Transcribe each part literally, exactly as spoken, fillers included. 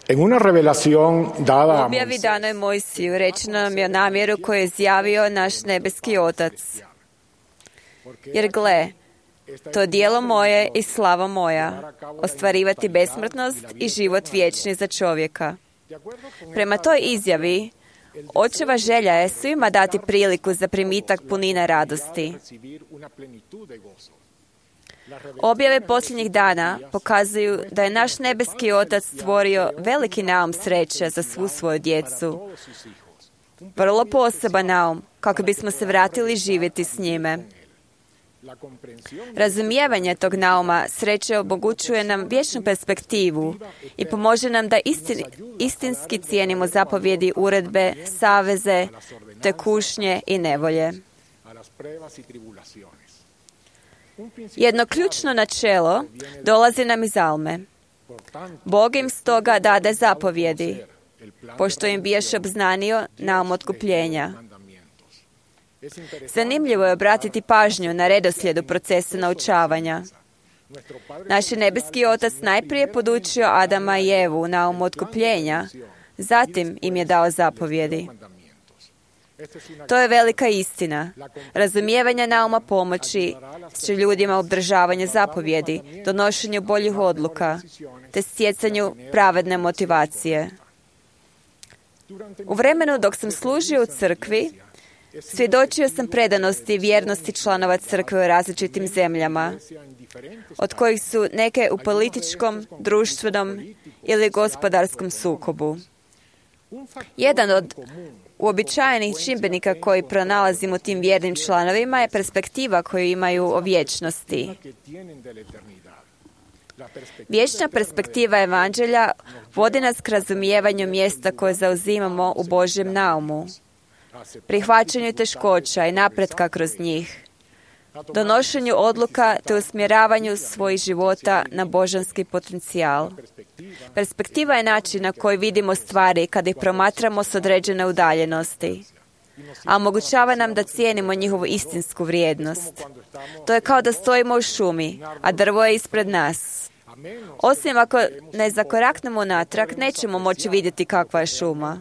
En una revelación dada U a objavi Moisés, danoj Mojsiju rečeno nam je o namjeru koju je izjavio naš nebeski Otac. Jer gle, to djelo moje i slava moja, ostvarivati besmrtnost i život vječni za čovjeka. Prema toj izjavi, Očeva želja je svima dati priliku za primitak punine radosti. Objave posljednjih dana pokazuju da je naš nebeski Otac stvorio veliki naum sreće za svu svoju djecu. Vrlo poseban naum, kako bismo se vratili živjeti s njime. Razumijevanje tog nauma sreće omogućuje nam vječnu perspektivu i pomože nam da istin, istinski cijenimo zapovjedi, uredbe, saveze, te kušnje i nevolje. Jedno ključno načelo dolazi nam iz Alme. Bog im stoga dade zapovjedi, pošto im bijaš obznanio naum otkupljenja. Zanimljivo je obratiti pažnju na redoslijedu procesa naučavanja. Naš nebeski Otac najprije podučio Adama i Evu naum otkupljenja, zatim im je dao zapovjedi. To je velika istina. Razumijevanje nauma pomoći će ljudima obdržavanju zapovjedi, donošenju boljih odluka, te stjecanju pravedne motivacije. U vremenu dok sam služio u crkvi, svjedočio sam predanosti i vjernosti članova crkve u različitim zemljama, od kojih su neke u političkom, društvenom ili gospodarskom sukobu. Jedan od uobičajenih čimbenika koji pronalazimo u tim vjernim članovima je perspektiva koju imaju o vječnosti. Vječna perspektiva evanđelja vodi nas k razumijevanju mjesta koje zauzimamo u Božjem naumu, prihvaćanju teškoća i napretka kroz njih, donošenju odluka te usmjeravanju svojih života na božanski potencijal. Perspektiva je način na koji vidimo stvari kada ih promatramo s određene udaljenosti, a omogućava nam da cijenimo njihovu istinsku vrijednost. To je kao da stojimo u šumi, a drvo je ispred nas. Osim ako ne zakoraknemo natrag, nećemo moći vidjeti kakva je šuma.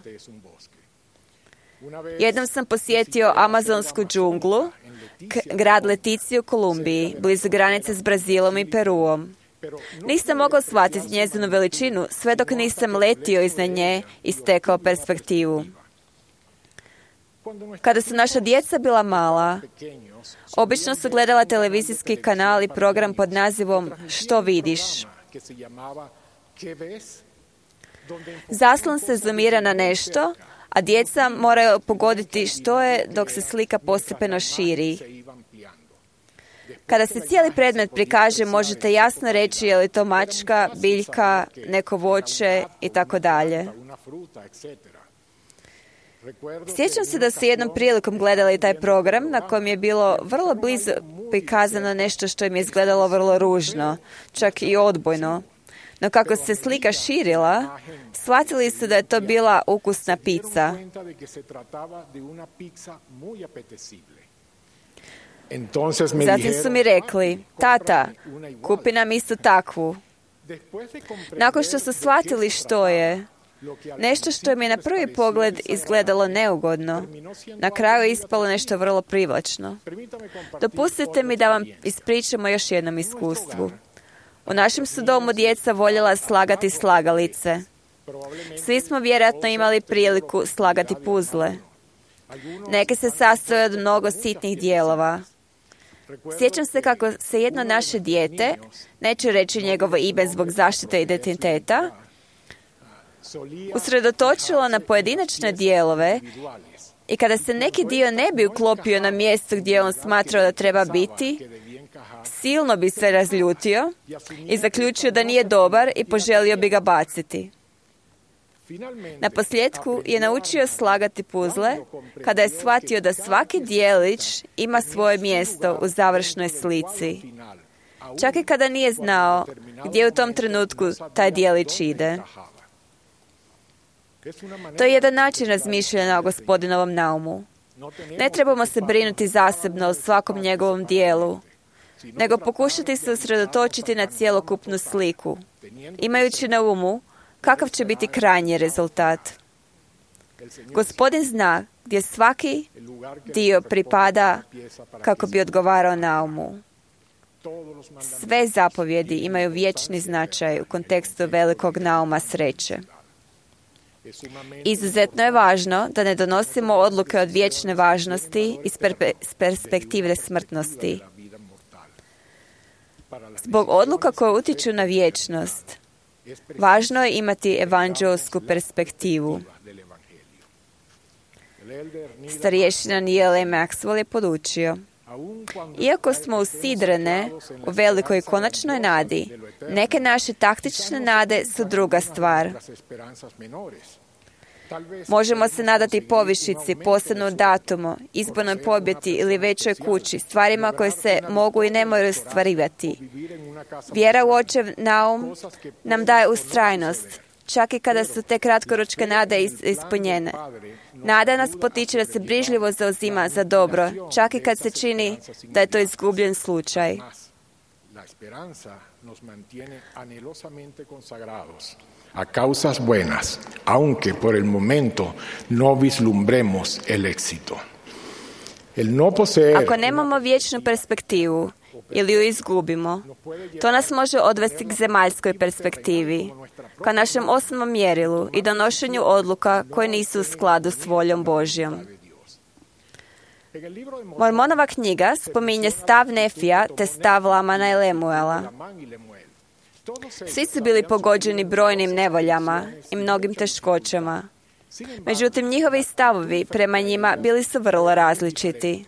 Jednom sam posjetio amazonsku džunglu, grad Letici u Kolumbiji, blizu granice s Brazilom i Peruom. Nisam mogao shvatiti njezinu veličinu sve dok nisam letio iznad nje i stekao perspektivu. Kada su naša djeca bila mala, obično su gledala televizijski kanal i program pod nazivom Što vidiš? Zaslon se zoomira na nešto, a djeca moraju pogoditi što je dok se slika postepeno širi. Kada se cijeli predmet prikaže, možete jasno reći je li to mačka, biljka, neko voće i tako dalje. Sjećam se da su jednom prilikom gledali taj program na kojem je bilo vrlo blizu prikazano nešto što im je izgledalo vrlo ružno, čak i odbojno. No kako se slika širila, shvatili su da je to bila ukusna pizza. Zatim su mi rekli, tata, kupi nam isto takvu. Nakon što su shvatili što je, nešto što mi je na prvi pogled izgledalo neugodno, na kraju je ispalo nešto vrlo privlačno. Dopustite mi da vam ispričamo još jednom iskustvu. U našem su domu djeca voljela slagati slagalice. Svi smo vjerojatno imali priliku slagati puzle. Neke se sastoje od mnogo sitnih dijelova. Sjećam se kako se jedno naše dijete, neću reći njegovo ime zbog zaštite identiteta, usredotočilo na pojedinačne dijelove i kada se neki dio ne bi uklopio na mjesto gdje on smatrao da treba biti, silno bi se razljutio i zaključio da nije dobar i poželio bi ga baciti. Na posljedku je naučio slagati puzle kada je shvatio da svaki dijelić ima svoje mjesto u završnoj slici. Čak i kada nije znao gdje u tom trenutku taj dijelić ide. To je jedan način razmišljanja o Gospodinovom naumu. Ne trebamo se brinuti zasebno o svakom njegovom dijelu, nego pokušati se usredotočiti na cjelokupnu sliku, imajući na umu kakav će biti krajnji rezultat. Gospodin zna gdje svaki dio pripada kako bi odgovarao naumu. Sve zapovjedi imaju vječni značaj u kontekstu velikog nauma sreće. Izuzetno je važno da ne donosimo odluke od vječne važnosti iz perpe- perspektive smrtnosti. Zbog odluka koje utječu na vječnost, važno je imati evanđelsku perspektivu. Starješina Neal A. Maxwell je podučio: iako smo usidrene u velikoj konačnoj nadi, neke naše taktične nade su druga stvar. Možemo se nadati povišici, posebnom datumu, izbornoj pobjedi ili većoj kući, stvarima koje se mogu i ne moraju ostvarivati. Vjera u očev naum nam daje ustrajnost, čak i kada su te kratkoročke nade ispunjene. Nada nas potiče da se brižljivo zauzima za dobro, čak i kad se čini da je to izgubljen slučaj. A causas buenas, aunque por el momento no vislumbremos el éxito. El no poseer... Ako nemamo vječnu perspektivu ili ju izgubimo, to nas može odvesti k zemaljskoj perspektivi, ka našem osnovnom mjerilu i donošenju odluka koje nisu u skladu s voljom Božjom. Mormonova knjiga spominje stav Nefija te stav Lamana i Lemuela. Svi su bili pogođeni brojnim nevoljama i mnogim teškoćama. Međutim, njihovi stavovi prema njima bili su vrlo različiti.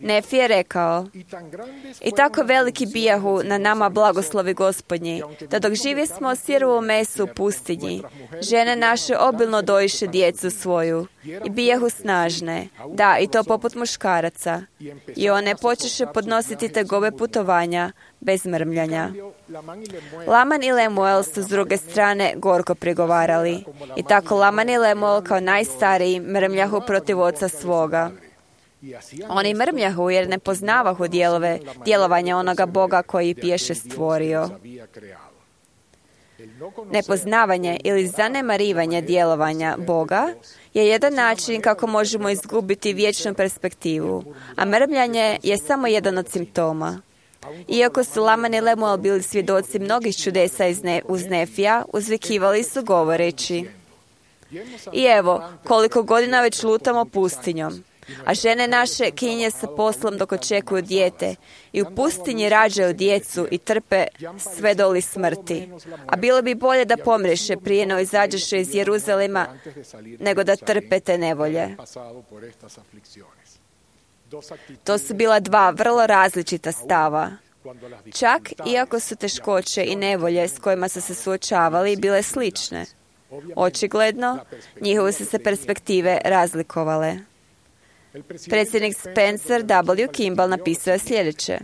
Nefi je rekao: i tako veliki bijahu na nama blagoslovi Gospodnji, da dok živi smo o sirovom mesu u pustinji, žene naše obilno dojiše djecu svoju i bijahu snažne, da, i to poput muškaraca, i one počeše podnositi tegobe putovanja bez mrmljanja. Laman i Lemuel su s druge strane gorko prigovarali, i tako Laman i Lemuel kao najstariji mrmljahu protiv oca svoga. Oni mrmljahu jer ne poznavahu dijelove, djelovanja onoga Boga koji ih biješe stvorio. Nepoznavanje ili zanemarivanje djelovanja Boga je jedan način kako možemo izgubiti vječnu perspektivu, a mrmljanje je samo jedan od simptoma. Iako su Laman i Lemuel bili svjedoci mnogih čudesa iz ne, uz Nefija, uzvikivali su govoreći: i evo, koliko godina već lutamo pustinjom, a žene naše kinje sa poslom dok očekuju dijete i u pustinji rađaju djecu i trpe sve doli smrti. A bilo bi bolje da pomreše prije no izađeše iz Jeruzalema nego da trpe te nevolje. To su bila dva vrlo različita stava. Čak iako su teškoće i nevolje s kojima su se suočavali bile slične. Očigledno, njihove su se perspektive razlikovale. Predsjednik Spencer W. Kimball napisao je sljedeće: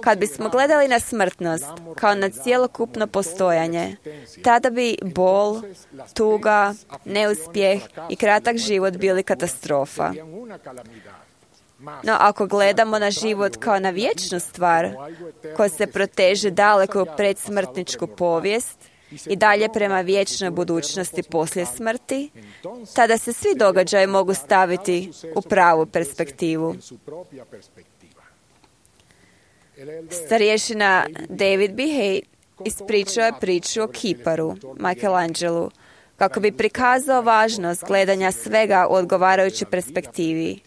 kad bismo gledali na smrtnost kao na cjelokupno postojanje, tada bi bol, tuga, neuspjeh i kratak život bili katastrofa. No ako gledamo na život kao na vječnu stvar, koja se proteže daleko u predsmrtničku povijest i dalje prema vječnoj budućnosti poslije smrti, tada se svi događaji mogu staviti u pravu perspektivu. Starješina David B. Hay ispričao je priču o kiparu, Michelangelu, kako bi prikazao važnost gledanja svega u odgovarajućoj perspektivi.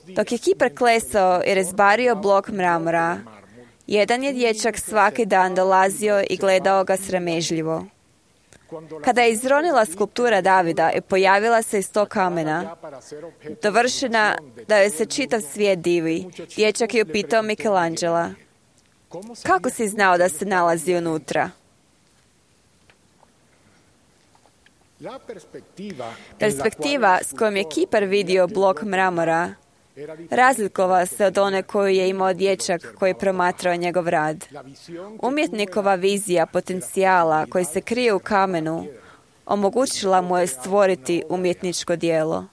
Dok je kipar klesao i rezbario blok mramora, jedan je dječak svaki dan dolazio i gledao ga sramežljivo. Kada je izronila skulptura Davida i pojavila se iz tog kamena, dovršena da joj se čitav svijet divi, dječak je upitao Michelangela: kako si znao da se nalazi unutra? Perspektiva s kojom je kipar vidio blok mramora razlikova se od one koju je imao dječak koji je promatrao njegov rad. Umjetnikova vizija potencijala koji se krije u kamenu omogućila mu je stvoriti umjetničko djelo.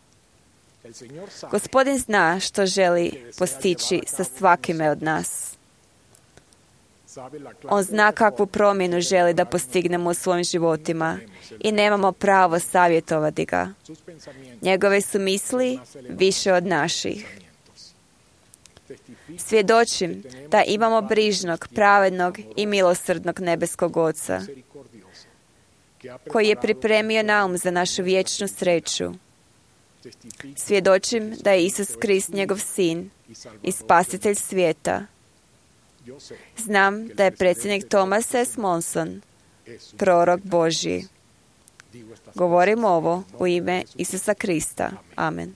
Gospodin zna što želi postići sa svakime od nas. On zna kakvu promjenu želi da postignemo u svojim životima i nemamo pravo savjetovati ga. Njegove su misli više od naših. Svjedočim da imamo brižnog, pravednog i milosrdnog nebeskog Oca, koji je pripremio naum za našu vječnu sreću. Svjedočim da je Isus Krist njegov sin i spasitelj svijeta. Znam da je predsjednik Thomas S. Monson prorok Božji. Govorim ovo u ime Isusa Krista. Amen.